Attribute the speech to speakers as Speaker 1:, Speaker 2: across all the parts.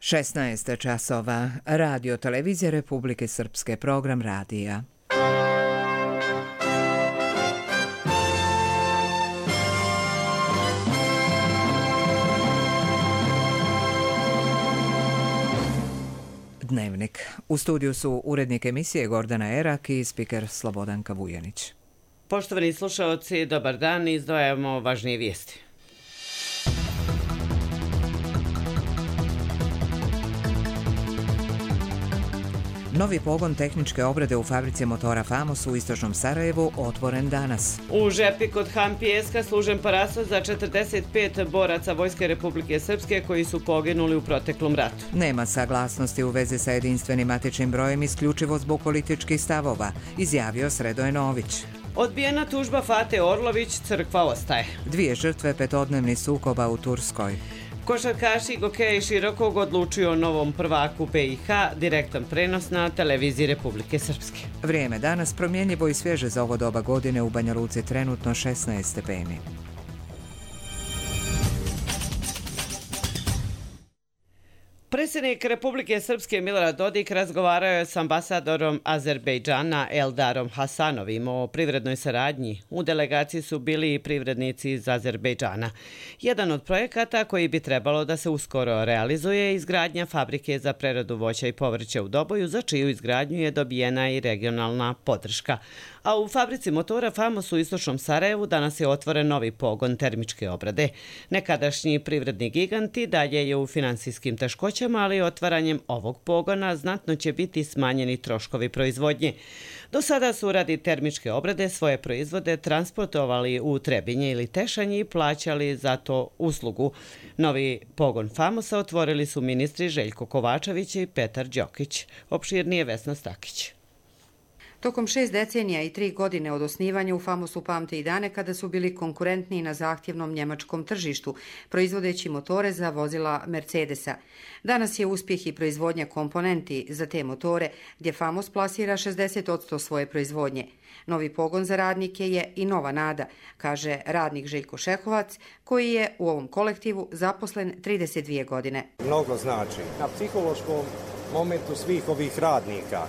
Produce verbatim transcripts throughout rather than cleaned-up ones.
Speaker 1: šesnaest časova. Radio Televizija Republike Srpske, program radija. Dnevnik. U studiju su urednik emisije Gordana Erak i spiker Slobodanka Vujanić.
Speaker 2: Poštovani slušaoci, dobar dan, izdvajamo važnije vijesti.
Speaker 1: Novi pogon tehničke obrade u fabrici motora Famos u istočnom Sarajevu otvoren danas.
Speaker 2: U Žepi kod Han Pijeska služen parasol za četrdeset pet boraca Vojske Republike Srpske koji su poginuli u proteklom ratu.
Speaker 1: Nema saglasnosti u vezi sa jedinstvenim matičnim brojem isključivo zbog političkih stavova, izjavio Sredoje Nović.
Speaker 2: Odbijena tužba Fate Orlović, crkva ostaje.
Speaker 1: Dvije žrtve petodnevnih sukoba u Turskoj.
Speaker 2: Košarkaši Gokeja Širokog odlučuju o novom prvaku B i H, direktan prenos na televiziji Republike Srpske.
Speaker 1: Vrijeme danas promjenjivo i svježe za ovo doba godine, u Banja Luci trenutno šesnaest stepeni.
Speaker 2: Predsjednik Republike Srpske Milorad Dodik razgovarao je s ambasadorom Azerbejdžana Eldarom Hasanovim o privrednoj saradnji. U delegaciji su bili i privrednici iz Azerbejdžana. Jedan od projekata koji bi trebalo da se uskoro realizuje je izgradnja fabrike za preradu voća i povrća u Doboju, za čiju izgradnju je dobijena i regionalna podrška. A u fabrici motora Famos u istočnom Sarajevu danas je otvoren novi pogon termičke obrade. Nekadašnji privredni giganti dalje je u finansijskim teškoćama, ali otvaranjem ovog pogona znatno će biti smanjeni troškovi proizvodnje. Do sada su radi termičke obrade svoje proizvode transportovali u Trebinje ili Tešanji i plaćali za to uslugu. Novi pogon Famosa otvorili su ministri Željko Kovačević i Petar Đokić. Opširnije Vesna Stakić.
Speaker 3: Tokom šest decenija i tri godine od osnivanja u Famosu pamte i dane kada su bili konkurentni na zahtjevnom njemačkom tržištu, proizvodeći motore za vozila Mercedesa. Danas je uspjeh i proizvodnja komponenti za te motore, gdje Famos plasira šezdeset posto svoje proizvodnje. Novi pogon za radnike je i nova nada, kaže radnik Željko Šehovac, koji je u ovom kolektivu zaposlen trideset dvije godine.
Speaker 4: Mnogo znači na psihološkom momentu svih ovih radnika.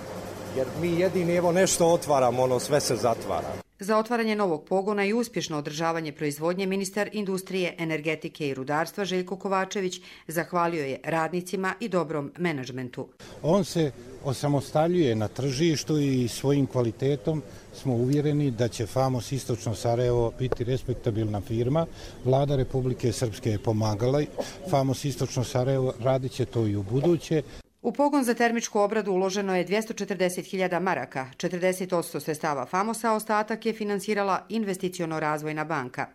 Speaker 4: Jer mi jedini evo nešto otvaramo, ono sve se zatvara.
Speaker 3: Za otvaranje novog pogona i uspješno održavanje proizvodnje ministar industrije, energetike i rudarstva Željko Kovačević zahvalio je radnicima i dobrom menadžmentu.
Speaker 5: On se osamostaljuje na tržištu i svojim kvalitetom smo uvjereni da će Famos Istočno Sarajevo biti respektabilna firma. Vlada Republike Srpske je pomagala. Famos Istočno Sarajevo radit će to i u buduće.
Speaker 3: U pogon za termičku obradu uloženo je dvjesto četrdeset hiljada maraka, četrdeset posto sredstava Famosa, ostatak je finansirala investiciono-razvojna banka.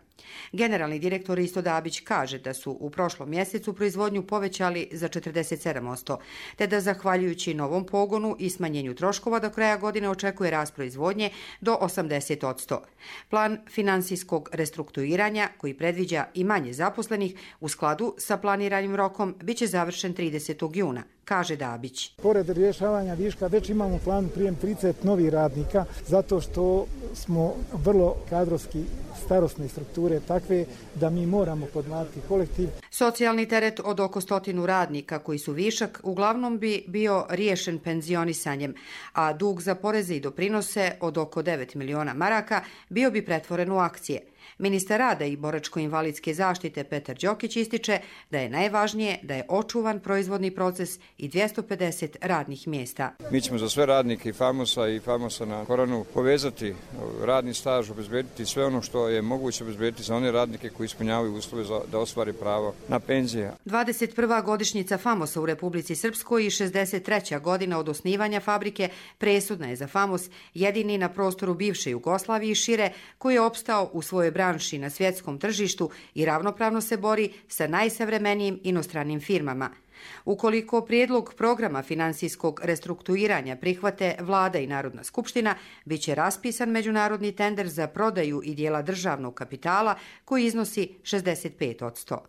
Speaker 3: Generalni direktor Isto Dabić kaže da su u prošlom mjesecu proizvodnju povećali za četrdeset sedam posto, te da zahvaljujući novom pogonu i smanjenju troškova do kraja godine očekuje rast proizvodnje do osamdeset posto. Plan finansijskog restrukturiranja, koji predviđa i manje zaposlenih, u skladu sa planiranim rokom, bit će završen tridesetog juna, kaže Dabić.
Speaker 6: Pored rješavanja viška, već imamo plan prijem trideset novih radnika, zato što smo vrlo kadrovski starosne strukture takve da mi moramo podmlatiti kolektiv.
Speaker 3: Socijalni teret od oko stotinu radnika koji su višak uglavnom bi bio riješen penzionisanjem, a dug za poreze i doprinose od oko devet miliona maraka bio bi pretvoren u akcije. Ministar rada i boračko-invalidske zaštite Petar Đokić ističe da je najvažnije da je očuvan proizvodni proces i dvjesto pedeset radnih mjesta.
Speaker 7: Mi ćemo za sve radnike i Famosa i Famosa na Koranu povezati radni staž, obezbediti sve ono što je moguće obezbediti za one radnike koji ispunjavaju uslove za da ostvari pravo na penzije.
Speaker 3: dvadeset prva godišnjica Famosa u Republici Srpskoj i šezdeset treća godina od osnivanja fabrike presudna je za Famos, jedini na prostoru bivše Jugoslavije i šire, koji je opstao u svojoj branši na svjetskom tržištu i ravnopravno se bori sa najsavremenijim inostranim firmama. Ukoliko prijedlog programa finansijskog restrukturiranja prihvate Vlada i Narodna skupština, bit će raspisan međunarodni tender za prodaju i dijela državnog kapitala koji iznosi šezdeset pet posto.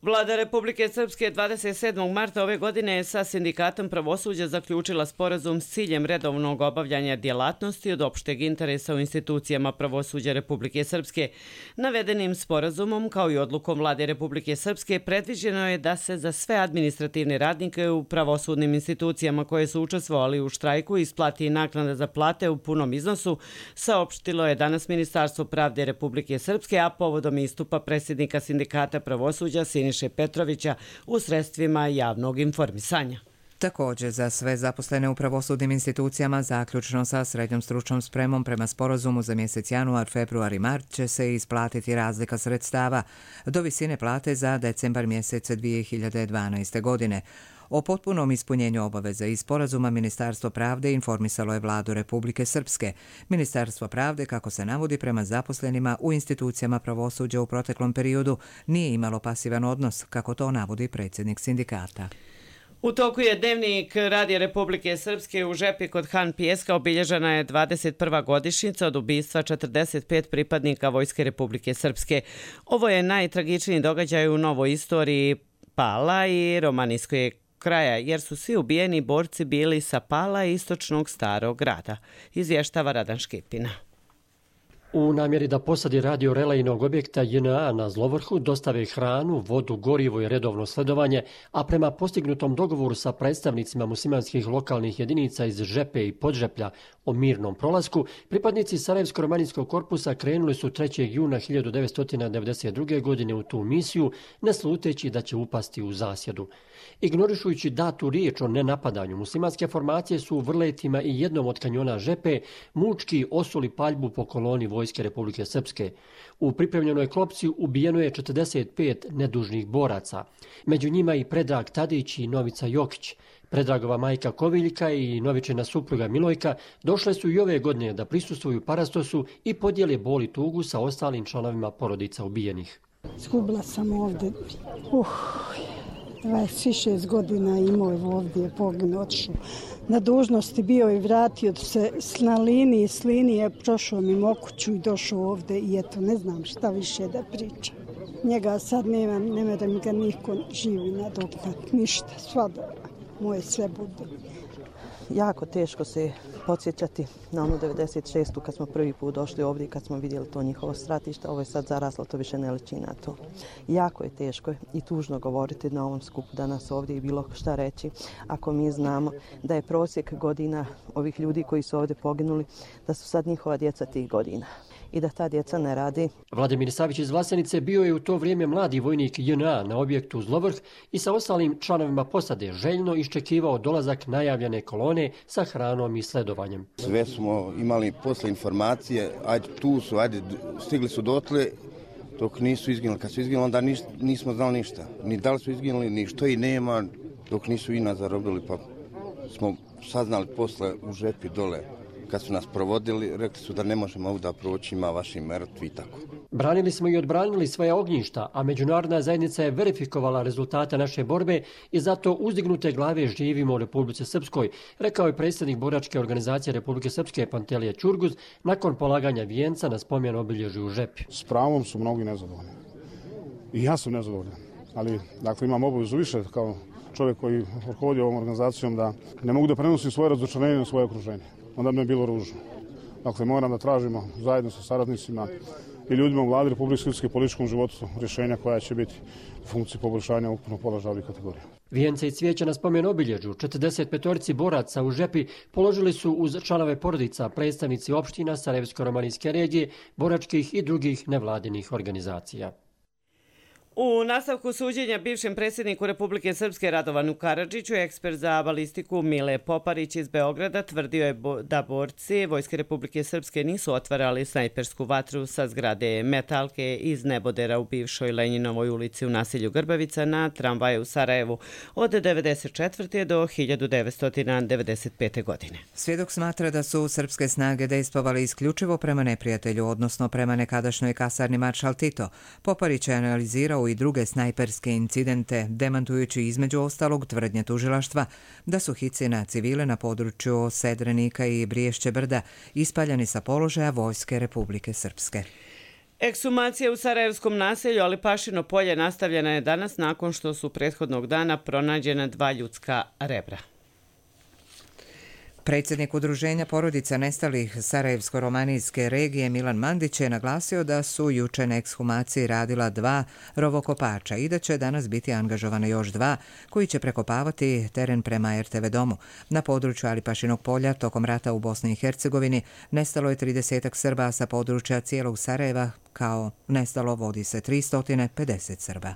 Speaker 2: Vlada Republike Srpske dvadeset sedmog marta ove godine sa Sindikatom pravosuđa zaključila sporazum s ciljem redovnog obavljanja djelatnosti od opšteg interesa u institucijama pravosuđa Republike Srpske. Navedenim sporazumom, kao i odlukom Vlade Republike Srpske, predviđeno je da se za sve administrativne radnike u pravosudnim institucijama koje su učestvovali u štrajku isplati naknada za plate u punom iznosu, saopštilo je danas Ministarstvo pravde Republike Srpske, a povodom istupa predsjednika Sindikata pravosuđa Siniše Petrovića u sredstvima javnog informisanja.
Speaker 1: Također, za sve zaposlene u pravosudnim institucijama, zaključno sa srednjom stručnom spremom prema sporazumu za mjesec januar, februar i mart, će se isplatiti razlika sredstava do visine plate za decembar mjesec dvije hiljade dvanaeste. godine. O potpunom ispunjenju obaveza iz sporazuma Ministarstvo pravde informisalo je Vladu Republike Srpske. Ministarstvo pravde, kako se navodi, prema zaposlenima u institucijama pravosuđa u proteklom periodu nije imalo pasivan odnos, kako to navodi predsjednik sindikata.
Speaker 2: U toku je dnevnik Radija Republike Srpske. U Žepi kod Han Pijeska obilježena je dvadeset prva godišnjica od ubistva četrdeset pet pripadnika Vojske Republike Srpske. Ovo je najtragičniji događaj u novoj istoriji Pala i Romanijskog kraja, jer su svi ubijeni borci bili sa Pala i istočnog Starog grada, izvještava Radan Škipina.
Speaker 8: U namjeri da posadi radio relejnog objekta J N A na Zlovrhu dostave hranu, vodu, gorivo i redovno sledovanje, a prema postignutom dogovoru sa predstavnicima muslimanskih lokalnih jedinica iz Žepe i Podžeplja o mirnom prolasku, pripadnici Sarajevsko-romanijskog korpusa krenuli su trećeg juna hiljadu devetsto devedeset druge. godine u tu misiju, ne sluteći da će upasti u zasjedu. Ignorišujući datu riječ o nenapadanju, muslimanske formacije su u Vrletima i jednom od kanjona Žepe mučki osuli paljbu po koloni Vojske Republike Srpske. U pripremljenoj klopci ubijeno je četrdeset pet nedužnih boraca. Među njima i Predrag Tadić i Novica Jokić. Predragova majka Koviljka i Novičina supruga Milojka došle su i ove godine da prisustvuju parastosu i podijele bol i tugu sa ostalim članovima porodica ubijenih.
Speaker 9: Zgubila sam ovdje. Uh, dvadeset šest godina imao je ovdje, poginuo, otišao. Na dužnosti bio i vratio se na liniji, s linije prošao mimo kuću i došao ovdje i eto, ne znam šta više da pričam. Njega sad nema, nema da mi ga niko živi nadoknat, ništa, sva dobra, moje sve bude.
Speaker 10: Jako teško se podsjećati na onu devedeset šestu kad smo prvi put došli ovdje i kad smo vidjeli to njihovo stratište. Ovo je sad zaraslo, to više ne liči na to. Jako je teško i tužno govoriti na ovom skupu danas ovdje i bilo šta reći. Ako mi znamo da je prosjek godina ovih ljudi koji su ovdje poginuli, da su sad njihova djeca tih godina i da ta djeca ne radi.
Speaker 8: Vladimir Savić iz Vlasenice bio je u to vrijeme mladi vojnik J N A na objektu Zlovrh i sa ostalim članovima posade željno iščekivao dolazak najavljene kolone sa hranom i sledovanjem.
Speaker 11: Sve smo imali posle informacije, ajde tu su, ajde stigli su dotle, dok nisu izginuli. Kad su izginuli, onda nis, nismo znali ništa. Ni da li su izginuli, ni što i nema, dok nisu i nas zarobili, pa smo saznali posle u Žepi dole. Kad su nas provodili, rekli su da ne možemo ovdje proći, ima vaši mrtvi i tako.
Speaker 8: Branili smo i odbranili svoje ognjišta, a međunarodna zajednica je verifikovala rezultate naše borbe i zato uzdignute glave živimo u Republici Srpskoj, rekao je predsjednik boračke organizacije Republike Srpske Pantelije Ćurguz nakon polaganja vijenca na spomen obilježju u Žepi.
Speaker 12: S pravom su mnogi nezadovoljni. I ja sam nezadovoljan, ali dakle imam obavezu više kao čovjek koji rukovodi ovom organizacijom da ne mogu da prenosim svoje razočarenje na svoje okruženje. Onda bi me bilo ružno. Dakle, moram da tražimo zajedno sa saradnicima i ljudima u vladi Republike Srpske i političkom životu rješenja koja će biti u funkciji poboljšanja ukupnog položaja ovih kategorija.
Speaker 8: Vijence i cvijeća na spomen obilježju četrdeset petorici boraca u Žepi položili su uz članove porodica predstavnici opština Sarajevsko-romanijske regije, boračkih i drugih nevladinih organizacija.
Speaker 2: U nastavku suđenja bivšem predsjedniku Republike Srpske Radovanu Karadžiću, ekspert za balistiku Mile Poparić iz Beograda tvrdio je da borci Vojske Republike Srpske nisu otvarali snajpersku vatru sa zgrade Metalke iz nebodera u bivšoj Lenjinovoj ulici u naselju Grbavica na tramvaju u Sarajevu od devedeset četvrte do hiljadu devetsto devedeset pete. godine.
Speaker 1: Svjedok smatra da su srpske snage dejstvovali isključivo prema neprijatelju, odnosno prema nekadašnjoj kasarni Maršal Tito. Poparić je analizirao i druge snajperske incidente, demantujući između ostalog tvrdnje tužilaštva da su hici na civile na području Sedrenika i Briješće brda ispaljani sa položaja Vojske Republike Srpske.
Speaker 2: Ekshumacija u sarajevskom naselju Alipašino polje nastavljena je danas nakon što su prethodnog dana pronađena dva ljudska rebra.
Speaker 1: Predsjednik udruženja porodica nestalih Sarajevsko-romanijske regije Milan Mandić je naglasio da su juče na ekshumaciji radila dva rovokopača i da će danas biti angažovane još dva koji će prekopavati teren prema er te ve domu. Na području Alipašinog polja tokom rata u Bosni i Hercegovini nestalo je tridesetak Srba sa područja cijelog Sarajeva, kao nestalo vodi se tristo pedeset Srba.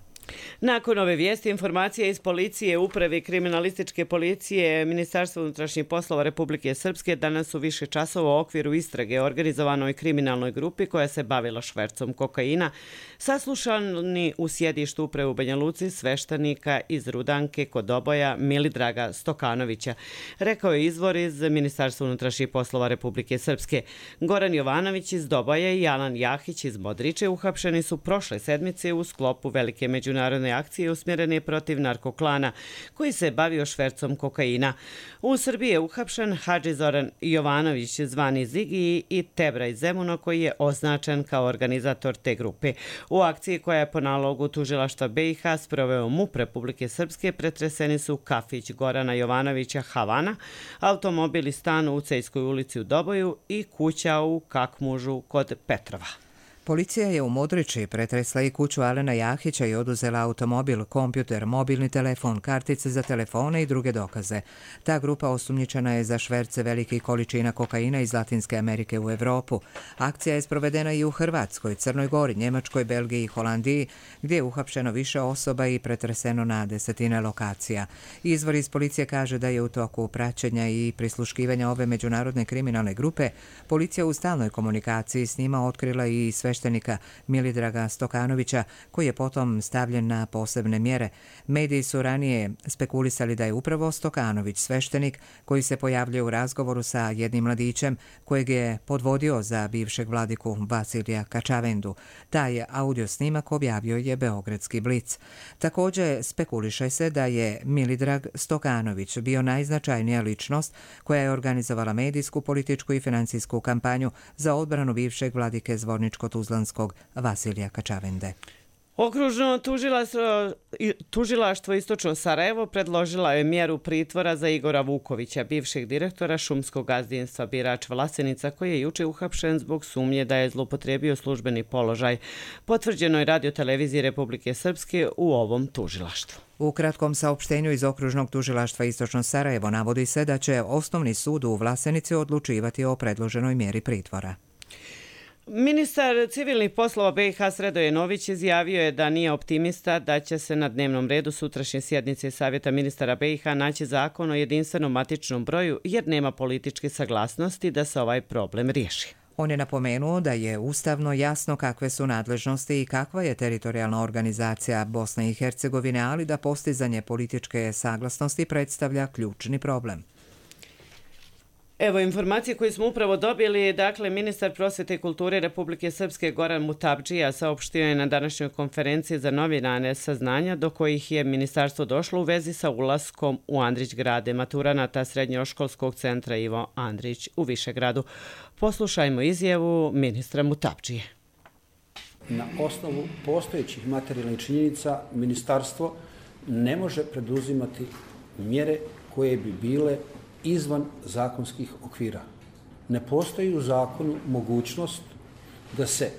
Speaker 2: Nakon ove vijesti, informacije iz policije, uprave kriminalističke policije, Ministarstva unutrašnjih poslova Republike Srpske danas su više časova u okviru istrage organizovanoj kriminalnoj grupi koja se bavila švercom kokaina, saslušani u sjedištu uprave u Banja Luci sveštenika iz Rudanke kod Oboja Milidraga Stokanovića, rekao je izvor iz Ministarstva unutrašnjih poslova Republike Srpske. Goran Jovanović iz Doboja i Alan Jahić iz Modriče uhapšeni su prošle sedmice u sklopu velike međunarodne Narodne akcije usmjerene protiv narkoklana koji se bavio švercom kokaina. U Srbiji je uhapšen Hadži Zoran Jovanović zvani Zigi i Tebra iz Zemuna koji je označen kao organizator te grupe. U akciji koja je po nalogu tužilaštva be i ha sproveo MUP Republike Srpske pretreseni su kafić Gorana Jovanovića Havana, automobil i stan u Cejskoj ulici u Doboju i kuća u Kakmužu kod Petrova.
Speaker 1: Policija je u Modriči pretresla i kuću Alena Jahića i oduzela automobil, kompjuter, mobilni telefon, kartice za telefone i druge dokaze. Ta grupa osumnjičena je za šverce velikih količina kokaina iz Latinske Amerike u Evropu. Akcija je sprovedena i u Hrvatskoj, Crnoj Gori, Njemačkoj, Belgiji i Holandiji, gdje je uhapšeno više osoba i pretreseno na desetine lokacija. Izvor iz policije kaže da je u toku praćenja i prisluškivanja ove međunarodne kriminalne grupe policija u stalnoj komunikaciji s njima otkrila i sveštenika Milidraga Stokanovića, koji je potom stavljen na posebne mjere. Mediji su ranije spekulisali da je upravo Stokanović sveštenik koji se pojavljuje u razgovoru sa jednim mladićem kojeg je podvodio za bivšeg vladiku Vasilija Kačavendu. Taj audio snimak objavio je Beogradski Blic. Također spekuliše se da je Milidrag Stokanović bio najznačajnija ličnost koja je organizovala medijsku, političku i financijsku kampanju za odbranu bivšeg vladike Zvorničko-Tuzlanskog Vasilija Kačavende.
Speaker 2: Okružno tužilaštvo, tužilaštvo Istočno Sarajevo predložila je mjeru pritvora za Igora Vukovića, bivšeg direktora šumskog gazdinstva Birač Vlasenica, koji je juče uhapšen zbog sumnje da je zloupotrijebio službeni položaj. Potvrđeno je Radio-televiziji Republike Srpske u ovom tužilaštvu.
Speaker 1: U kratkom saopštenju iz Okružnog tužilaštva Istočno Sarajevo navodi se da će Osnovni sud u Vlasenici odlučivati o predloženoj mjeri pritvora.
Speaker 2: Ministar civilnih poslova be i ha Sredoje Nović izjavio je da nije optimista da će se na dnevnom redu sutrašnje sjednice Savjeta ministara be i ha naći zakon o jedinstvenom matičnom broju jer nema političke saglasnosti da se ovaj problem riješi.
Speaker 1: On je napomenuo da je ustavno jasno kakve su nadležnosti i kakva je teritorijalna organizacija Bosne i Hercegovine, ali da postizanje političke saglasnosti predstavlja ključni problem.
Speaker 2: Evo informacije koje smo upravo dobili. Dakle, ministar prosvjete i kulture Republike Srpske Goran Mutapdžija saopštio je na današnjoj konferenciji za novinare saznanja do kojih je ministarstvo došlo u vezi sa ulaskom u Andrić-grade maturanata Srednjoškolskog centra Ivo Andrić u Višegradu. Poslušajmo izjavu ministra Mutapdžije.
Speaker 13: Na osnovu postojećih materijalnih činjenica ministarstvo ne može preduzimati mjere koje bi bile izvan zakonskih okvira. Ne postoji u zakonu mogućnost da se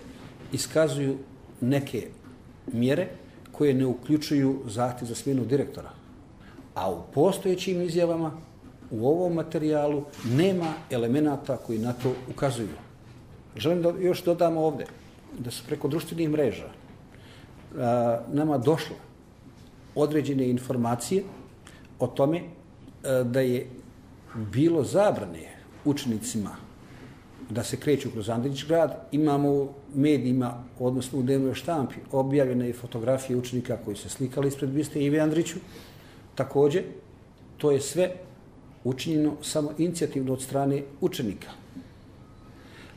Speaker 13: iskazuju neke mjere koje ne uključuju zahtjev za smjenu direktora. A u postojećim izjavama u ovom materijalu nema elemenata koji na to ukazuju. Želim da još dodam ovdje da su preko društvenih mreža a, nama došle određene informacije o tome a, da je bilo zabrane učenicima da se kreću kroz Andrić-grad. Imamo u medijima, odnosno u dnevnoj štampi, objavljene fotografije učenika koji se slikali ispred biste Ive Andriću. Također, to je sve učinjeno samo inicijativno od strane učenika.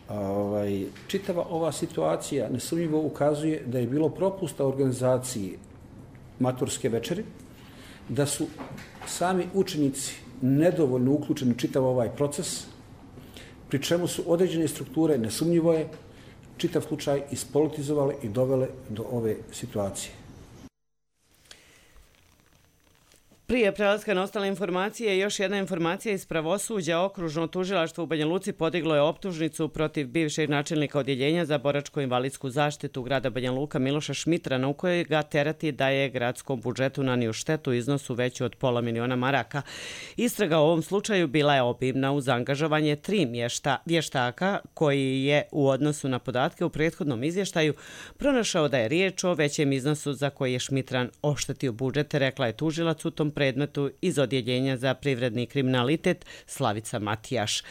Speaker 13: Ovaj, čitava ova situacija nesumnjivo ukazuje da je bilo propusta organizaciji maturske večeri, da su sami učenici nedovoljno uključeni čitav ovaj proces, pri čemu su određene strukture, nesumnjivo je, čitav slučaj ispolitizovale i dovele do ove situacije.
Speaker 2: Prije prelaska na ostale informacije, još jedna informacija iz pravosuđa. Okružno tužilaštvo u Banja Luci podiglo je optužnicu protiv bivšeg načelnika odjeljenja za boračko-invalidsku zaštitu grada Banja Luka Miloša Šmitrana, u kojoj ga terati da je gradskom budžetu nanio štetu u iznosu veću od pola miliona maraka. Istraga u ovom slučaju bila je obimna uz angažovanje tri mješta, vještaka koji je u odnosu na podatke u prethodnom izvještaju pronašao da je riječ o većem iznosu za koji je Šmitran oštetio budžet, rekla je tužilac u tom predmetu iz odjeljenja za privredni kriminalitet Slavica Matijaš.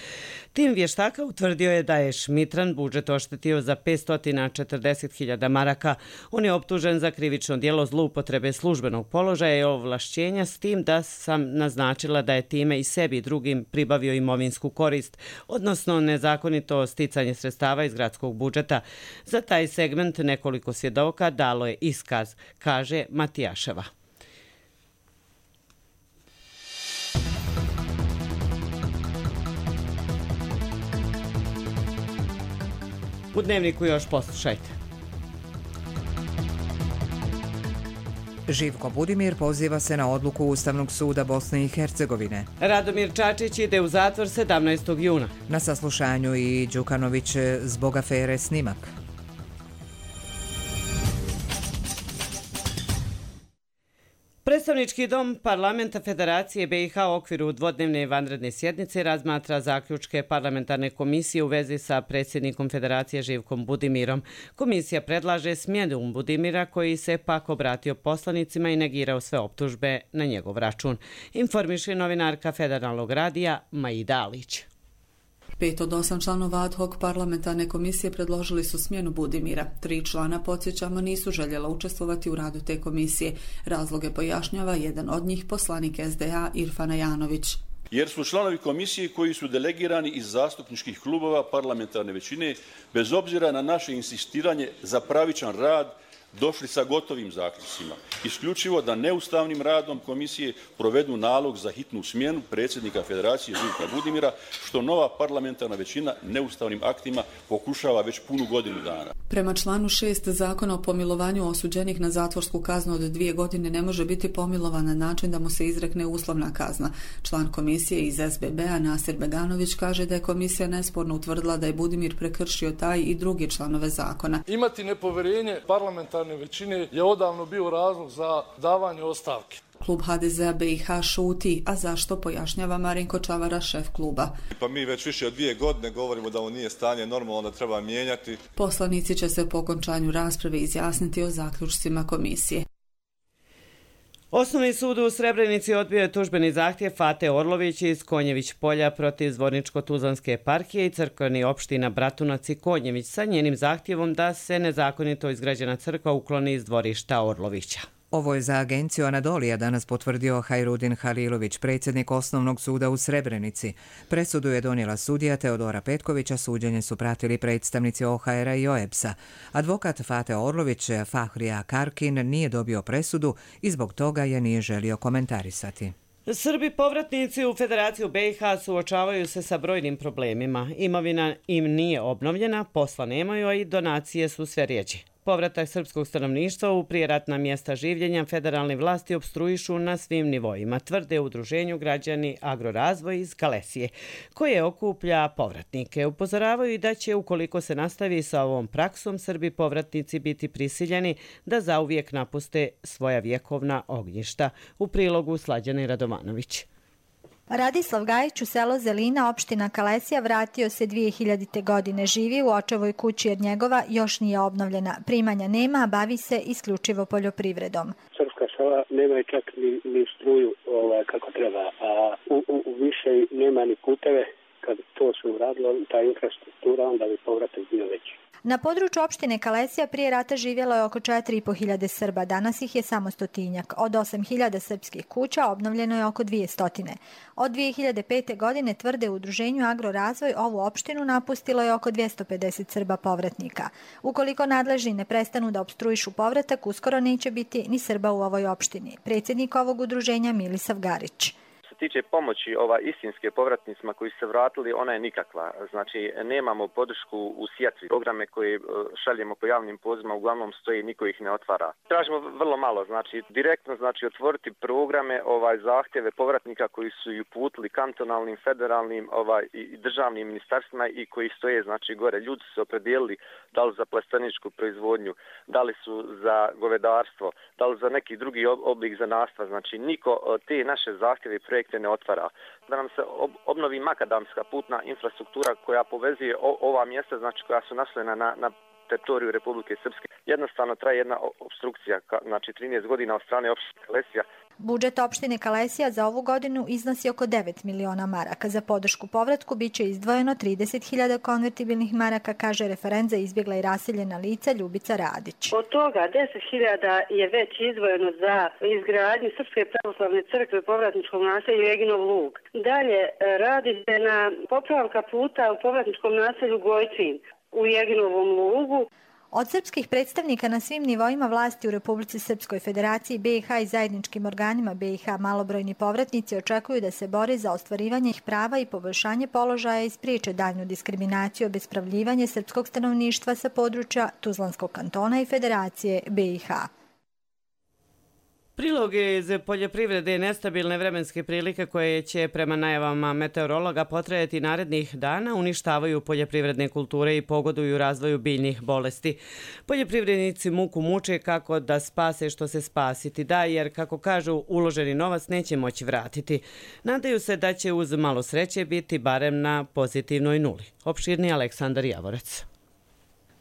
Speaker 2: Tim vještaka utvrdio je da je Šmitran budžet oštetio za petsto četrdeset hiljada maraka. On je optužen za krivično djelo zloupotrebe službenog položaja i ovlašćenja, s tim da sam naznačila da je time i sebi i drugim pribavio imovinsku korist, odnosno nezakonito sticanje sredstava iz gradskog budžeta. Za taj segment nekoliko svjedoka dalo je iskaz, kaže Matijaševa. U Dnevniku još poslušajte.
Speaker 1: Živko Budimir poziva se na odluku Ustavnog suda Bosne i Hercegovine.
Speaker 2: Radomir Čačić ide u zatvor sedamnaestog juna.
Speaker 1: Na saslušanju i Đukanović zbog afere Snimak.
Speaker 2: Predstavnički dom Parlamenta Federacije B i H u okviru dvodnevne vanredne sjednice razmatra zaključke parlamentarne komisije u vezi sa predsjednikom Federacije Živkom Budimirom. Komisija predlaže smjenu Budimira, koji se pak obratio poslanicima i negirao sve optužbe na njegov račun. Informiše novinarka Federalnog radija Maida Alić.
Speaker 14: Pet od osam članova ad hoc parlamentarne komisije predložili su smjenu Budimira. Tri člana, podsjećamo, nisu željela učestvovati u radu te komisije. Razloge pojašnjava jedan od njih, poslanik S D A Irfan Ajanović.
Speaker 15: Jer su članovi komisije koji su delegirani iz zastupničkih klubova parlamentarne većine, bez obzira na naše insistiranje za pravičan rad, došli sa gotovim zaključcima. Isključivo da neustavnim radom komisije provedu nalog za hitnu smjenu predsjednika Federacije Živka Budimira, što nova parlamentarna većina neustavnim aktima pokušava već punu godinu dana.
Speaker 14: Prema članu šest Zakona o pomilovanju osuđenih na zatvorsku kaznu od dvije godine ne može biti pomilovan na način da mu se izrekne uslovna kazna. Član komisije iz S B B-a Nasir Beganović kaže da je komisija nesporno utvrdila da je Budimir prekršio taj i drugi članove zakona.
Speaker 16: Imati nepovjerenje parlamentarne većine je odavno bio razlog za davanje ostavke.
Speaker 14: Klub H D Z-a B i H šuti, a zašto, pojašnjava Marinko Čavara, šef kluba.
Speaker 17: Pa mi već više od dvije godine govorimo da ovo nije stanje normalno, da treba mijenjati.
Speaker 14: Poslanici će se po okončanju rasprave izjasniti o zaključcima komisije.
Speaker 2: Osnovni sud u Srebrenici odbio je tužbeni zahtjev Fate Orlović iz Konjević polja protiv Zvorničko-Tuzlanske eparhije i crkveni opština Bratunac i Konjević sa njenim zahtjevom da se nezakonito izgrađena crkva ukloni iz dvorišta Orlovića.
Speaker 1: Ovo je za agenciju Anadolija danas potvrdio Hajrudin Halilović, predsjednik Osnovnog suda u Srebrenici. Presudu je donijela sudija Teodora Petkovića, suđenje su pratili predstavnici O H R-a i O E B S-a. Advokat Fate Orlović, Fahrija Karkin, nije dobio presudu i zbog toga je nije želio komentarisati.
Speaker 2: Srbi povratnici u Federaciju B i H suočavaju se sa brojnim problemima. Imovina im nije obnovljena, posla nemaju, a i donacije su sve rijeđe. Povratak srpskog stanovništva u prijeratna mjesta življenja federalne vlasti opstruišu na svim nivoima, tvrde u udruženju Građani Agrorazvoj iz Kalesije, koje okuplja povratnike. Upozoravaju i da će, ukoliko se nastavi sa ovom praksom, Srbi povratnici biti prisiljeni da zauvijek napuste svoja vjekovna ognjišta. U prilogu Slađane Radovanović.
Speaker 18: Radislav Gajić u selo Zelina, opština Kalesija, vratio se dvije hiljadite. godine. Živi u očevoj kući jer njegova još nije obnovljena. Primanja nema, a bavi se isključivo poljoprivredom.
Speaker 19: Srpska sela nemaju čak ni, ni struju ovaj, kako treba, a u, u, u više nema ni puteve. Kad to se uradilo, ta infrastruktura, onda bi povratak bio veći.
Speaker 18: Na području opštine Kalesija prije rata živjelo je oko četiri i po hiljade Srba, danas ih je samo stotinjak. Od osam hiljada srpskih kuća obnovljeno je oko dvije stotine. Od dvije hiljade pete. godine, tvrde u udruženju Agrorazvoj, ovu opštinu napustilo je oko dvjesto pedeset Srba povratnika. Ukoliko nadležni ne prestanu da opstruišu povratak, uskoro neće biti ni Srba u ovoj opštini. Predsjednik ovog udruženja Milisav Garić.
Speaker 19: Što
Speaker 20: tiče pomoći ova istinske povratnicima koji su se vratili, ona je nikakva. Znači, nemamo podršku u sjatvi. Programe koje šaljemo po javnim pozivima uglavnom stoji, niko ih ne otvara. Tražimo vrlo malo, znači direktno znači otvoriti programe, ovaj zahtjeve povratnika koji su i uputili kantonalnim, federalnim, ovaj i državnim ministarstvima i koji stoje znači gore. Ljudi su se opredijelili da li za plasteničku proizvodnju, da li su za govedarstvo, da li za neki drugi oblik zanatstva. Znači, niko te naše zahtjeve i projekte ne otvara. Da nam se obnovi makadamska putna infrastruktura koja povezuje ova mjesta, znači koja su naslojena na, na teritoriju Republike Srpske. Jednostavno traje jedna obstrukcija, znači trinaest godina od strane opštine Kalesija.
Speaker 18: Budžet opštine Kalesija za ovu godinu iznosi oko devet miliona maraka. Za podršku povratku biće izdvojeno trideset hiljada konvertibilnih maraka, kaže referent za izbjegla i raseljena lica Ljubica Radić.
Speaker 21: Od toga deset hiljada je već izdvojeno za izgradnju Srpske pravoslavne crkve u povratničkom naselju Eginov Lug. Dalje radi se na popravka puta u povratničkom naselju Gojcin u Eginovom Lugu.
Speaker 18: Od srpskih predstavnika na svim nivoima vlasti u Republici Srpskoj Federaciji B i H i zajedničkim organima B i H malobrojni povratnici očekuju da se bori za ostvarivanje ih prava i poboljšanje položaja i spriječe daljnju diskriminaciju, obespravljivanje srpskog stanovništva sa područja Tuzlanskog kantona i Federacije B i H.
Speaker 2: Prilog iz poljoprivrede nestabilne vremenske prilike koje će prema najavama meteorologa potrajati narednih dana uništavaju poljoprivredne kulture i pogoduju razvoju biljnih bolesti. Poljoprivrednici muku muče kako da spase što se spasiti da, jer kako kažu uloženi novac neće moći vratiti. Nadaju se da će uz malo sreće biti barem na pozitivnoj nuli. Opširni Aleksandar Javorec.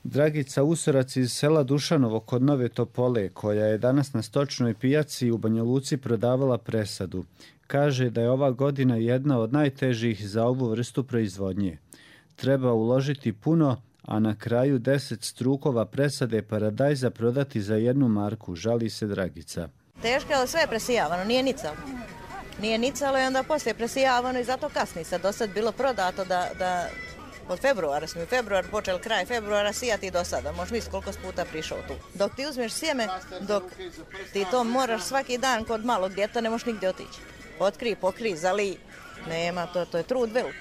Speaker 22: Dragica Usorac iz sela Dušanovo kod Nove Topole, koja je danas na stočnoj pijaci u Banja Luci prodavala presadu, kaže da je ova godina jedna od najtežih za ovu vrstu proizvodnje. Treba uložiti puno, a na kraju deset strukova presade paradajza prodati za jednu marku, žali se Dragica.
Speaker 23: Teško, ali sve je presijavano, nije nicalo. Nije nicalo i onda poslije presijavano i zato kasni se. Do sad bilo prodato da... da od februara smo u februar počeli, kraj februara sijati do sada. Možeš misliti koliko puta prišao tu. Dok ti uzmeš sjeme, dok ti to moraš svaki dan kod malog djeta, ne možeš nigdje otići. Otkri, pokri, zali, nema, to, to je trud velik.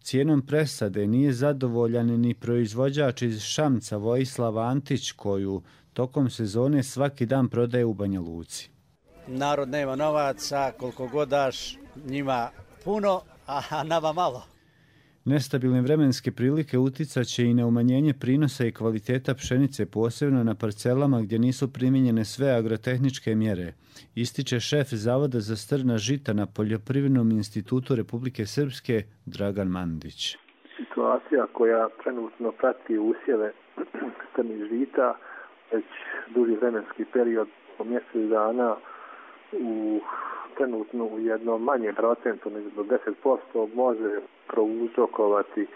Speaker 22: Cijenom presade nije zadovoljan ni proizvođač iz Šamca Vojislav Antić, koju tokom sezone svaki dan prodaje u Banja Luci.
Speaker 24: Narod nema novaca, koliko god daš njima puno, a nama malo.
Speaker 22: Nestabilne vremenske prilike uticat će i na umanjenje prinosa i kvaliteta pšenice, posebno na parcelama gdje nisu primijenjene sve agrotehničke mjere, ističe šef Zavoda za strna žita na Poljoprivrednom institutu Republike Srpske Dragan Mandić.
Speaker 25: Situacija koja trenutno prati usjeve strnih žita već duži vremenski period po mjesec dana u trenutno u jednom manjem procentu, nego do deset posto, može prouzrokovati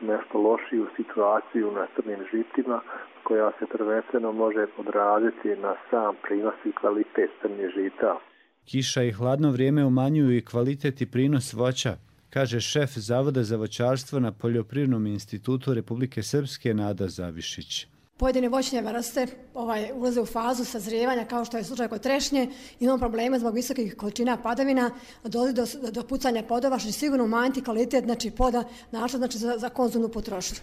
Speaker 25: nešto lošiju situaciju na crnim žitima, koja se prvenstveno može odraziti na sam prinos i kvalitet crnih žita.
Speaker 22: Kiša i hladno vrijeme umanjuju i kvalitet i prinos voća, kaže šef Zavoda za voćarstvo na Poljoprivrednom institutu Republike Srpske Nada Zavišić.
Speaker 26: Pojedine voćne vrste ovaj, ulaze u fazu sazrijevanja, kao što je slučaj kod trešnje. Imamo probleme zbog visokih količina padavina, dolazi do, do pucanja plodova, što će sigurno umanjiti kvalitet znači, ploda našla znači, za, za konzumnu potrošnju.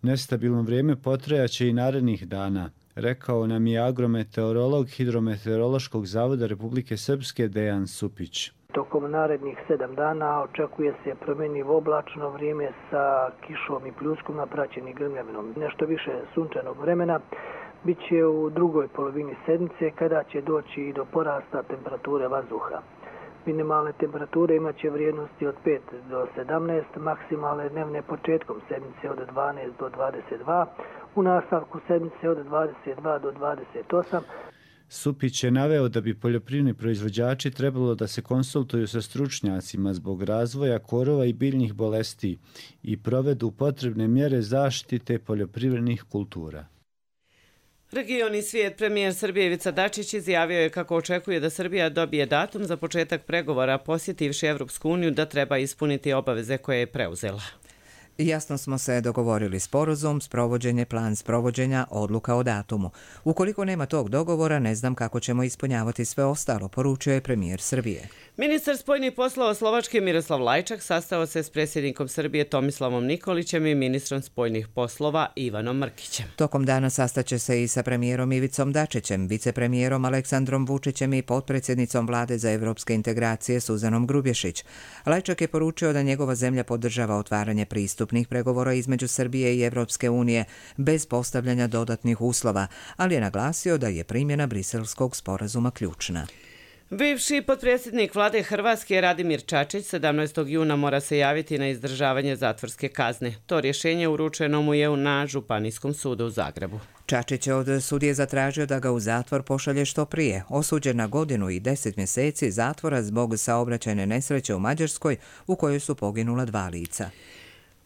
Speaker 22: Nestabilno vrijeme potrajaće i narednih dana, rekao nam je agrometeorolog Hidrometeorološkog zavoda Republike Srpske Dejan Supić.
Speaker 27: Tokom narednih sedam dana očekuje se promjenjivo oblačno vrijeme sa kišom i pljuskom napraćeni grmljavinom. Nešto više sunčanog vremena biće u drugoj polovini sedmice kada će doći i do porasta temperature vazduha. Minimalne temperature imaće vrijednosti od pet do sedamnaest, maksimalne dnevne početkom sedmice od dvanaest do dvadeset dva, u nastavku sedmice od dvadeset dva do dvadeset osam.
Speaker 22: Supić je naveo da bi poljoprivredni proizvođači trebalo da se konsultuju sa stručnjacima zbog razvoja korova i biljnih bolesti i provedu potrebne mjere zaštite poljoprivrednih kultura.
Speaker 2: Regioni svijet premijer Srbije Ivica Dačić izjavio je kako očekuje da Srbija dobije datum za početak pregovora, posjetivši Evropsku uniju da treba ispuniti obaveze koje je preuzela.
Speaker 1: Jasno smo se dogovorili sporazum, sprovođenje, plan sprovođenja, odluka o datumu. Ukoliko nema tog dogovora, ne znam kako ćemo ispunjavati sve ostalo, poručio je premijer Srbije.
Speaker 2: Ministar spoljnih poslova Slovačke Miroslav Lajčak sastao se s predsjednikom Srbije Tomislavom Nikolićem i ministrom spoljnih poslova Ivanom Mrkićem.
Speaker 1: Tokom dana sastaće se i sa premijerom Ivicom Dačićem, vicepremijerom Aleksandrom Vučićem i potpredsjednicom vlade za evropske integracije Suzanom Grubješić. Lajčak je poručio da njegova zemlja podržava otvaranje pristupnih pregovora između Srbije i Evropske unije bez postavljanja dodatnih uslova, ali je naglasio da je primjena Briselskog sporazuma ključna.
Speaker 2: Bivši potpredsjednik vlade Hrvatske Radimir Čačić sedamnaestog juna mora se javiti na izdržavanje zatvorske kazne. To rješenje uručeno mu je na Županijskom sudu u Zagrebu.
Speaker 1: Čačić je od sudije zatražio da ga u zatvor pošalje što prije. Osuđen na godinu i deset mjeseci zatvora zbog saobraćajne nesreće u Mađarskoj u kojoj su poginula dva lica.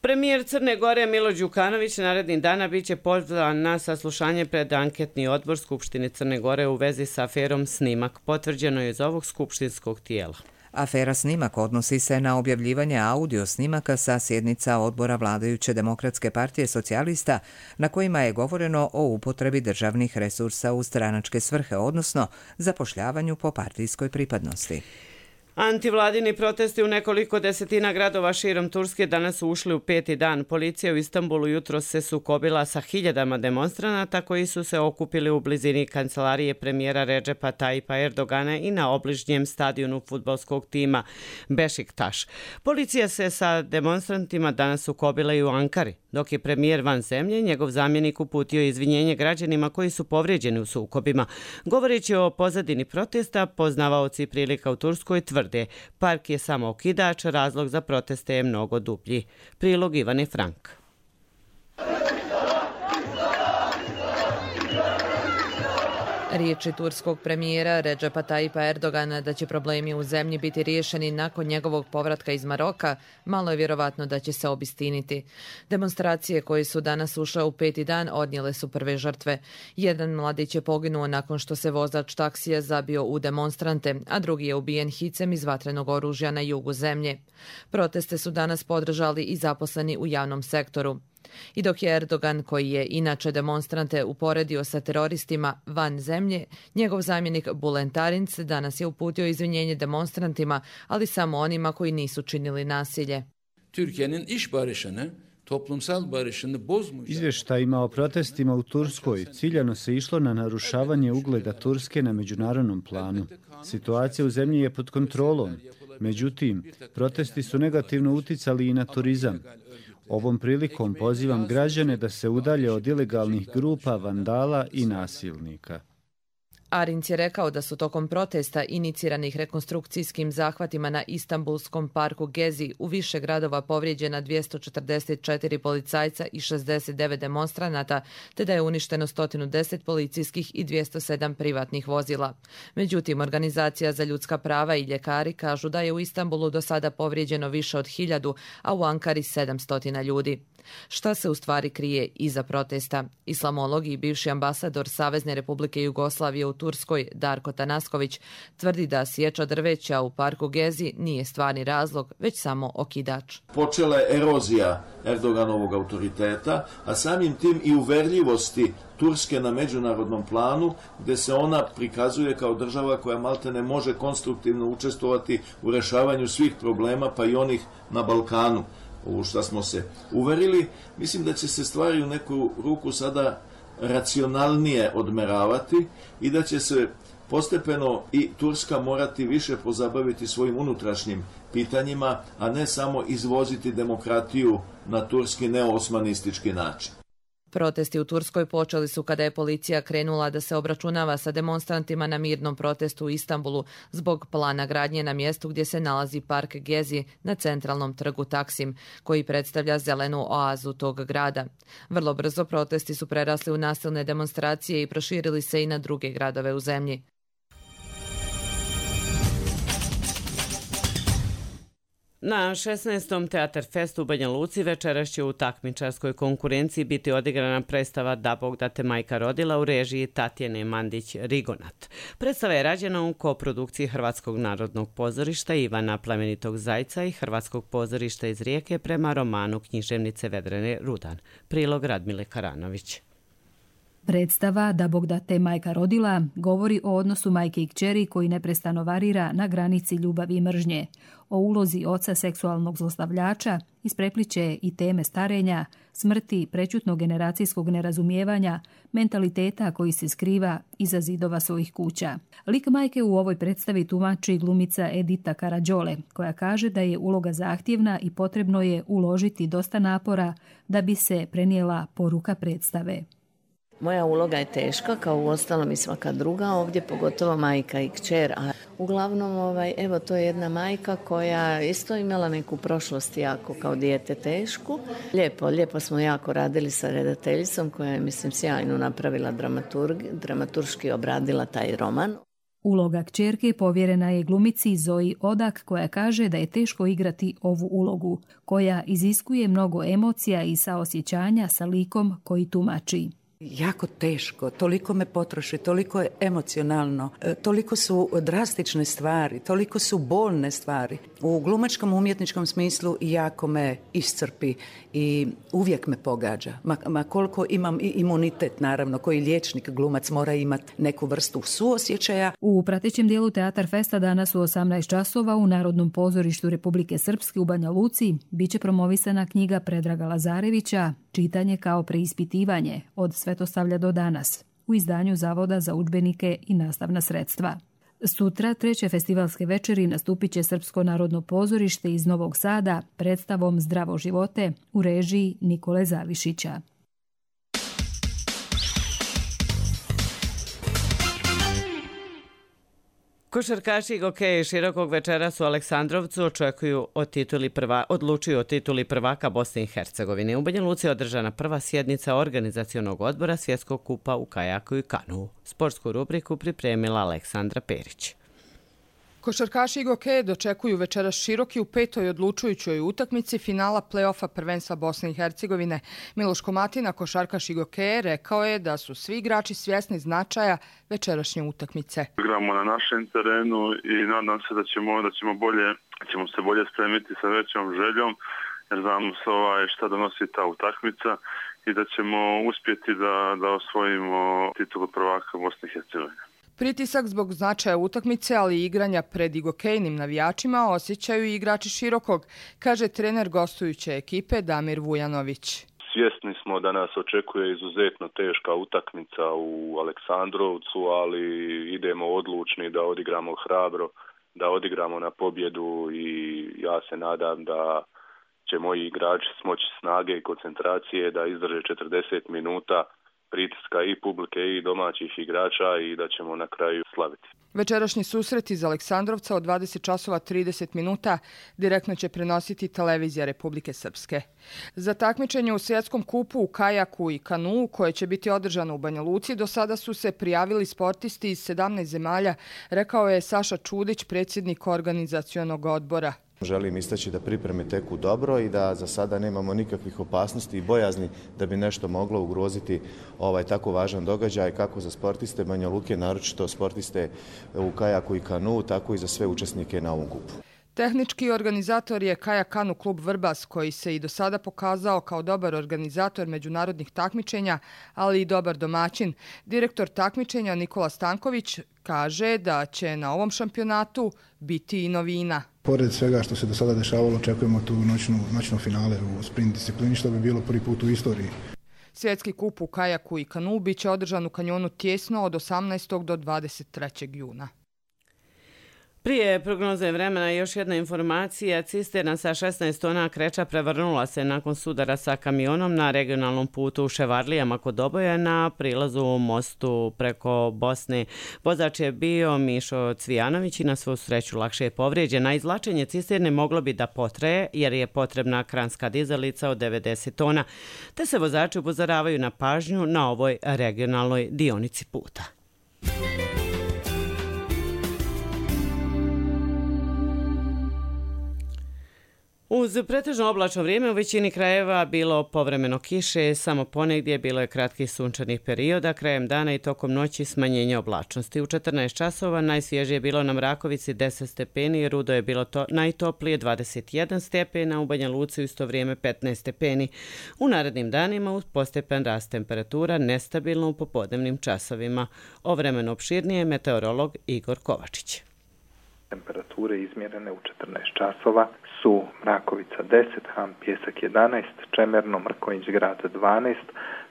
Speaker 2: Premijer Crne Gore Milo Đukanović narednih dana bit će pozvan na saslušanje pred anketni odbor Skupštine Crne Gore u vezi sa aferom Snimak. Potvrđeno je iz ovog skupštinskog tijela.
Speaker 1: Afera Snimak odnosi se na objavljivanje audio snimaka sa sjednica odbora vladajuće Demokratske partije socijalista na kojima je govoreno o upotrebi državnih resursa u stranačke svrhe, odnosno zapošljavanju po partijskoj pripadnosti.
Speaker 2: Antivladini protesti u nekoliko desetina gradova širom Turske danas su ušli u peti dan. Policija u Istanbulu jutros se sukobila sa hiljadama demonstranata koji su se okupili u blizini kancelarije premijera Redžepa Tajipa Erdogana i na obližnjem stadionu fudbalskog tima Bešiktaš. Policija se sa demonstrantima danas sukobila i u Ankari, dok je premijer van zemlje, njegov zamjenik uputio izvinjenje građanima koji su povrijeđeni u sukobima. Govoreći o pozadini protesta, poznavaoci prilika u Turskoj tvrde park je samo okidač, razlog za proteste je mnogo dublji. Prilog Ivane Frank.
Speaker 3: Riječi turskog premijera Redžepa Tajipa Erdogana da će problemi u zemlji biti riješeni nakon njegovog povratka iz Maroka, malo je vjerovatno da će se obistiniti. Demonstracije koje su danas ušle u peti dan odnijele su prve žrtve. Jedan mladić je poginuo nakon što se vozač taksija zabio u demonstrante, a drugi je ubijen hicem iz vatrenog oružja na jugu zemlje. Proteste su danas podržali i zaposleni u javnom sektoru. I dok je Erdogan, koji je inače demonstrante uporedio sa teroristima van zemlje, njegov zamjenik Bülent Arınç danas je uputio izvinjenje demonstrantima, ali samo onima koji nisu činili nasilje.
Speaker 4: Türkiye'nin iş barışını, toplumsal barışını bozmayacak.
Speaker 22: Izvještajima o protestima u Turskoj ciljano se išlo na narušavanje ugleda Turske na međunarodnom planu. Situacija u zemlji je pod kontrolom, međutim, protesti su negativno uticali i na turizam. Ovom prilikom pozivam građane da se udalje od ilegalnih grupa, vandala i nasilnika.
Speaker 3: Arınç je rekao da su tokom protesta iniciranih rekonstrukcijskim zahvatima na Istanbulskom parku Gezi u više gradova povrijeđena dvjesto četrdeset četiri policajca i šezdeset devet demonstranata, te da je uništeno sto deset policijskih i dvjesto sedam privatnih vozila. Međutim, Organizacija za ljudska prava i ljekari kažu da je u Istanbulu do sada povrijeđeno više od hiljadu, a u Ankari sedamsto ljudi. Šta se u stvari krije iza protesta? Islamolog i bivši ambasador Savezne Republike Jugoslavije u Turskoj, Darko Tanasković, tvrdi da sječa drveća u parku Gezi nije stvarni razlog, već samo okidač.
Speaker 5: Počela je erozija Erdoganovog autoriteta, a samim tim i uverljivosti Turske na međunarodnom planu, gdje se ona prikazuje kao država koja maltene može konstruktivno učestvovati u rješavanju svih problema, pa i onih na Balkanu. U što smo se uverili, mislim da će se stvari u neku ruku sada racionalnije odmeravati i da će se postepeno i Turska morati više pozabaviti svojim unutrašnjim pitanjima, a ne samo izvoziti demokratiju na turski neoosmanistički način.
Speaker 3: Protesti u Turskoj počeli su kada je policija krenula da se obračunava sa demonstrantima na mirnom protestu u Istanbulu zbog plana gradnje na mjestu gdje se nalazi park Gezi na centralnom trgu Taksim, koji predstavlja zelenu oazu tog grada. Vrlo brzo protesti su prerasli u nasilne demonstracije i proširili se i na druge gradove u zemlji.
Speaker 2: Na šesnaestom Teatar Festu u Banja Luci večeras će u takmičarskoj konkurenciji biti odigrana predstava Da Bog da te majka rodila u režiji Tatjane Mandić-Rigonat. Predstava je rađena u koprodukciji Hrvatskog narodnog pozorišta Ivana Plemenitog Zajca i Hrvatskog pozorišta iz Rijeke prema romanu književnice Vedrane Rudan. Prilog Radmile Karanović.
Speaker 6: Predstava Da Bog da te majka rodila govori o odnosu majke i kćeri koji neprestano varira na granici ljubavi i mržnje, o ulozi oca seksualnog zlostavljača, isprepliće i teme starenja, smrti, prećutnog generacijskog nerazumijevanja, mentaliteta koji se skriva iza zidova svojih kuća. Lik majke u ovoj predstavi tumači glumica Edita Karađole, koja kaže da je uloga zahtjevna i potrebno je uložiti dosta napora da bi se prenijela poruka predstave.
Speaker 7: Moja uloga je teška, kao u ostalom i svaka druga, ovdje pogotovo majka i kćer. A uglavnom, ovaj, evo, to je jedna majka koja isto imala neku prošlost jako kao dijete tešku. Lijepo, lijepo smo jako radili sa redateljicom koja je, mislim, sjajno napravila dramaturg, dramaturški obradila taj roman.
Speaker 6: Uloga kćerke povjerena je glumici Zoji Odak, koja kaže da je teško igrati ovu ulogu, koja iziskuje mnogo emocija i saosjećanja sa likom koji tumači.
Speaker 8: Jako teško, toliko me potroši, toliko je emocionalno, toliko su drastične stvari, toliko su bolne stvari. U glumačkom umjetničkom smislu jako me iscrpi i uvijek me pogađa. Ma, ma koliko imam i imunitet, naravno, koji liječnik glumac mora imati neku vrstu suosjećaja.
Speaker 6: U pratećem dijelu Teatar Festa danas u osamnaest časova u Narodnom pozorištu Republike Srpske u Banja Luci biće promovisana knjiga Predraga Lazarevića Čitanje kao preispitivanje od Svetosavlja do danas u izdanju Zavoda za udžbenike i nastavna sredstva. Sutra, treće festivalske večeri, nastupit će Srpsko narodno pozorište iz Novog Sada predstavom Zdravo živote u režiji Nikole Zavišića.
Speaker 2: Košarkaši Gokeji Širokog večeras u Aleksandrovcu očekuju o tituli prva, odlučuju o tituli prvaka Bosne i Hercegovine. U Banja Luci je održana prva sjednica organizacionog odbora Svjetskog kupa u kajaku i kanuu. Sportsku rubriku pripremila Aleksandra Perić.
Speaker 9: Košarkaši i Gokeje dočekuju večeras Široki u petoj odlučujućoj utakmici finala play-offa prvenstva Bosne i Hercegovine. Miloš Komatina, košarkaš i Gokeje, rekao je da su svi igrači svjesni značaja večerašnje utakmice.
Speaker 10: Igramo na našem terenu i nadam se da ćemo, da ćemo, bolje, ćemo se bolje spremiti sa većom željom, jer znamo se ovaj šta donosi ta utakmica i da ćemo uspjeti da, da osvojimo titulu prvaka Bosne i Hercegovine.
Speaker 9: Pritisak zbog značaja utakmice, ali i igranja pred igokejnim navijačima osjećaju i igrači Širokog, kaže trener gostujuće ekipe Damir Vujanović.
Speaker 10: Svjesni smo da nas očekuje izuzetno teška utakmica u Aleksandrovcu, ali idemo odlučni da odigramo hrabro, da odigramo na pobjedu i ja se nadam da će moji igrači smoći snage i koncentracije da izdrže četrdeset minuta pritiska i publike i domaćih igrača i da ćemo na kraju slaviti.
Speaker 9: Večerašnji susret iz Aleksandrovca od dvadeset časova trideset minuta direktno će prenositi televizija Republike Srpske. Za takmičenje u Svjetskom kupu u kajaku i kanuu, koje će biti održano u Banja Luci, do sada su se prijavili sportisti iz sedamnaest zemalja, rekao je Saša Čudić, predsjednik organizacionog odbora.
Speaker 11: Želim istaći da pripreme teku dobro i da za sada nemamo nikakvih opasnosti i bojazni da bi nešto moglo ugroziti ovaj tako važan događaj kako za sportiste Banja Luke, naročito sportiste u kajaku i kanu, tako i za sve učesnike na ovom kupu.
Speaker 9: Tehnički organizator je Kajak Kanu klub Vrbas, koji se i do sada pokazao kao dobar organizator međunarodnih takmičenja, ali i dobar domaćin. Direktor takmičenja Nikola Stanković kaže da će na ovom šampionatu biti i novina.
Speaker 12: Pored svega što se do sada dešavalo, očekujemo tu noćnu, noćnu finale u sprint disciplini, što bi bilo prvi put u istoriji.
Speaker 9: Svjetski kup u kajaku i kanu biće održan u kanjonu Tjesno od osamnaestog do dvadeset trećeg juna.
Speaker 2: Prije prognoze vremena još jedna informacija. Cisterna sa šesnaest tona kreča prevrnula se nakon sudara sa kamionom na regionalnom putu u Ševarlijama kod Doboja na prilazu u mostu preko Bosne. Vozač je bio Mišo Cvijanović i na svu sreću lakše je povrijeđen. Na izvlačenje cisterne moglo bi da potraje jer je potrebna kranska dizalica od devedeset tona. Te se vozači upozoravaju na pažnju na ovoj regionalnoj dionici puta. Uz pretežno oblačno vrijeme u većini krajeva bilo povremeno kiše, samo ponegdje bilo je kratkih sunčanih perioda, krajem dana i tokom noći smanjenje oblačnosti. U četrnaest časova najsvježije je bilo na Mrakovici deset stepeni, Rudo je bilo to najtoplije dvadeset jedan stepena, u Banja Luci u isto vrijeme petnaest stepeni. U narednim danima uz postepen rast temperatura nestabilno u popodnevnim časovima. O vremenu opširnije meteorolog Igor Kovačić.
Speaker 13: Temperature izmjerene u četrnaest časova su Mrakovica deset, Ham Pjesak jedanaest, Čemerno, Mrkonjić Grad dvanaest,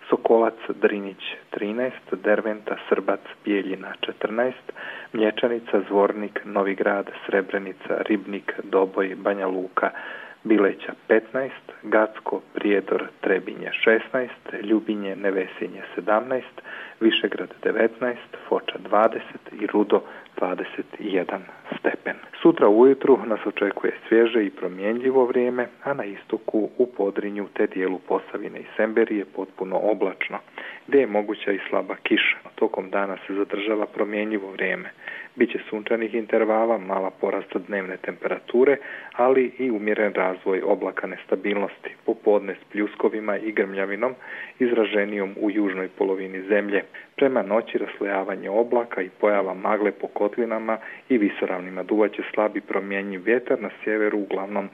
Speaker 13: Sokolac, Drinjić trinaest, Derventa, Srbac, Bijeljina četrnaest, Mlječanica, Zvornik, Novi Grad, Srebrenica, Ribnik, Doboj, Banja Luka, Bileća petnaest, Gacko, Prijedor, Trebinje šesnaest, Ljubinje, Nevesinje sedamnaest, Višegrad devetnaest, Foča dvadeset i Rudo dvadeset jedan stepen. Sutra ujutru nas očekuje svježe i promjenljivo vrijeme, a na istoku u Podrinju te dijelu Posavine i Semberije potpuno oblačno, gdje je moguća i slaba kiša. Tokom dana se zadržava promjenljivo vrijeme. Biće sunčanih intervala, mala porasta dnevne temperature, ali i umjeren razvoj oblaka nestabilnosti, popodne s pljuskovima i grmljavinom, izraženijom u južnoj polovini zemlje. Prema noći raslojavanje oblaka i pojava magle po kotlinama i visoravnima. Duvaće slabi promjenjiv vjetar na sjeveru, uglavnom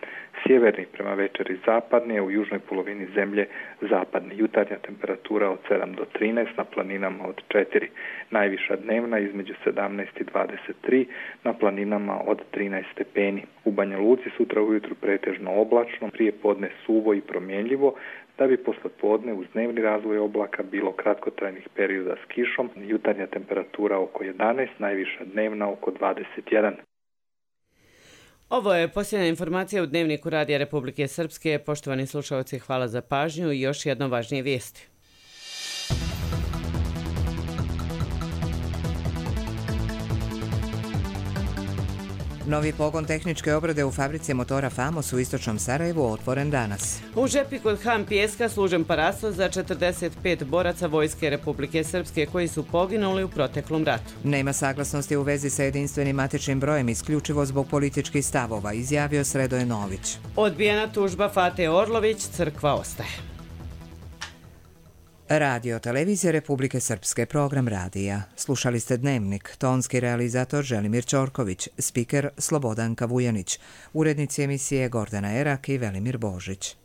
Speaker 13: sjeverni prema večeri zapadni, a u južnoj polovini zemlje zapadni. Jutarnja temperatura od sedam do trinaest, na planinama od četiri. Najviša dnevna između sedamnaest i dvadeset tri, na planinama od trinaest stepeni. U Banja Luci sutra ujutru pretežno oblačno, prije podne suvo i promjenljivo, da bi posle podne uz dnevni razvoj oblaka bilo kratkotrajnih perioda s kišom. Jutarnja temperatura oko jedanaest, najviša dnevna oko dvadeset jedan.
Speaker 2: Ovo je posljednja informacija u Dnevniku Radija Republike Srpske. Poštovani slušalci, hvala za pažnju i još jedno važnije vijesti.
Speaker 1: Novi pogon tehničke obrade u fabrici motora Famos u istočnom Sarajevu otvoren danas.
Speaker 2: U Žepi kod Ham Pijeska služen parasto za četrdeset pet boraca Vojske Republike Srpske koji su poginuli u proteklom ratu.
Speaker 1: Nema saglasnosti u vezi sa jedinstvenim matičnim brojem isključivo zbog političkih stavova, izjavio Sredoje Nović.
Speaker 2: Odbijena tužba Fate Orlović, crkva ostaje.
Speaker 1: Radio Televizija Republike Srpske, program radija. Slušali ste Dnevnik, tonski realizator Želimir Ćorković, spiker Slobodanka Vujanić, urednici emisije Gordana Erak i Velimir Božić.